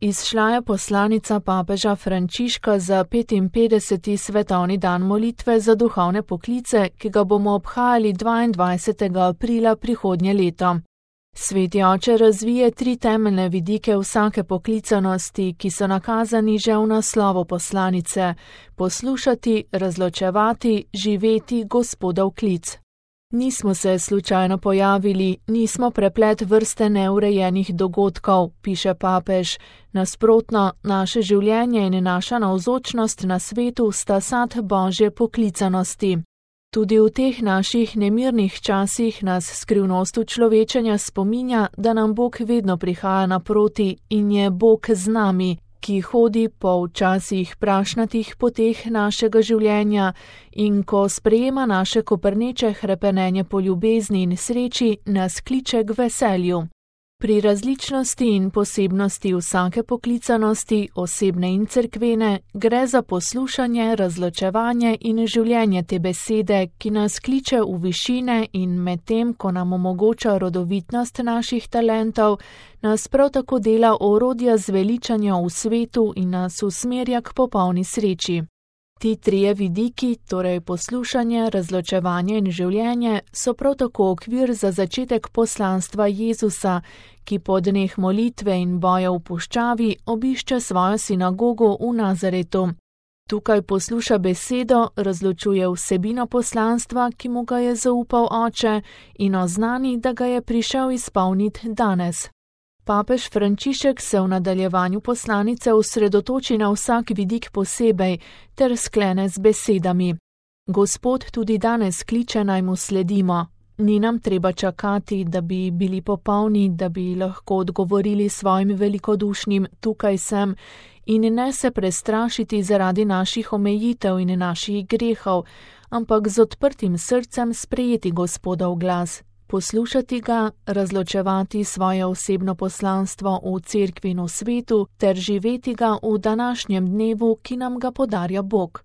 Izšla je poslanica papeža Frančiška za 55. svetovni dan molitve za duhovne poklice, ki ga bomo obhajali 22. aprila prihodnje leto. Sveti oče razvije 3 temeljne vidike vsake poklicanosti, ki so nakazani že v naslovu poslanice: poslušati, razločevati, živeti Gospodov klic. Nismo se slučajno pojavili, nismo preplet vrste neurejenih dogodkov, piše papež. Nasprotno, naše življenje in naša navzočnost na svetu sta sad Božje poklicanosti. Tudi v teh naših nemirnih časih nas skrivnost človečenja spominja, da nam Bog vedno prihaja naproti in je Bog z nami, ki hodi po včasih prašnatih poteh našega življenja in ko sprejema naše koprneče hrepenenje po ljubezni in sreči, nas kliče k veselju. Pri različnosti in posebnosti vsake poklicanosti, osebne in cerkvene, gre za poslušanje, razločevanje in življenje te besede, ki nas kliče v višine in medtem, ko nam omogoča rodovitnost naših talentov, nas prav tako dela orodja zveličanja v svetu in nas usmerja k popolni sreči. Ti 3 vidiki, torej poslušanje, razločevanje in življenje, so prav tako okvir za začetek poslanstva Jezusa, ki po dneh molitve in boja v puščavi obišče svojo sinagogo v Nazaretu. Tukaj posluša besedo, razločuje vsebino poslanstva, ki mu ga je zaupal oče, in oznani, da ga je prišel izpolniti danes. Papež Frančišek se v nadaljevanju poslanice osredotoči na vsak vidik posebej ter sklene z besedami: Gospod tudi danes kliče, naj mu sledimo. Ni nam treba čakati, da bi bili popolni, da bi lahko odgovorili svojim velikodušnim tukaj sem, in ne se prestrašiti zaradi naših omejitev in naših grehov, ampak z odprtim srcem sprejeti Gospodov glas, poslušati ga, razločevati svoje osebno poslanstvo v cerkvi in v svetu ter živeti ga v današnjem dnevu, ki nam ga podarja Bog.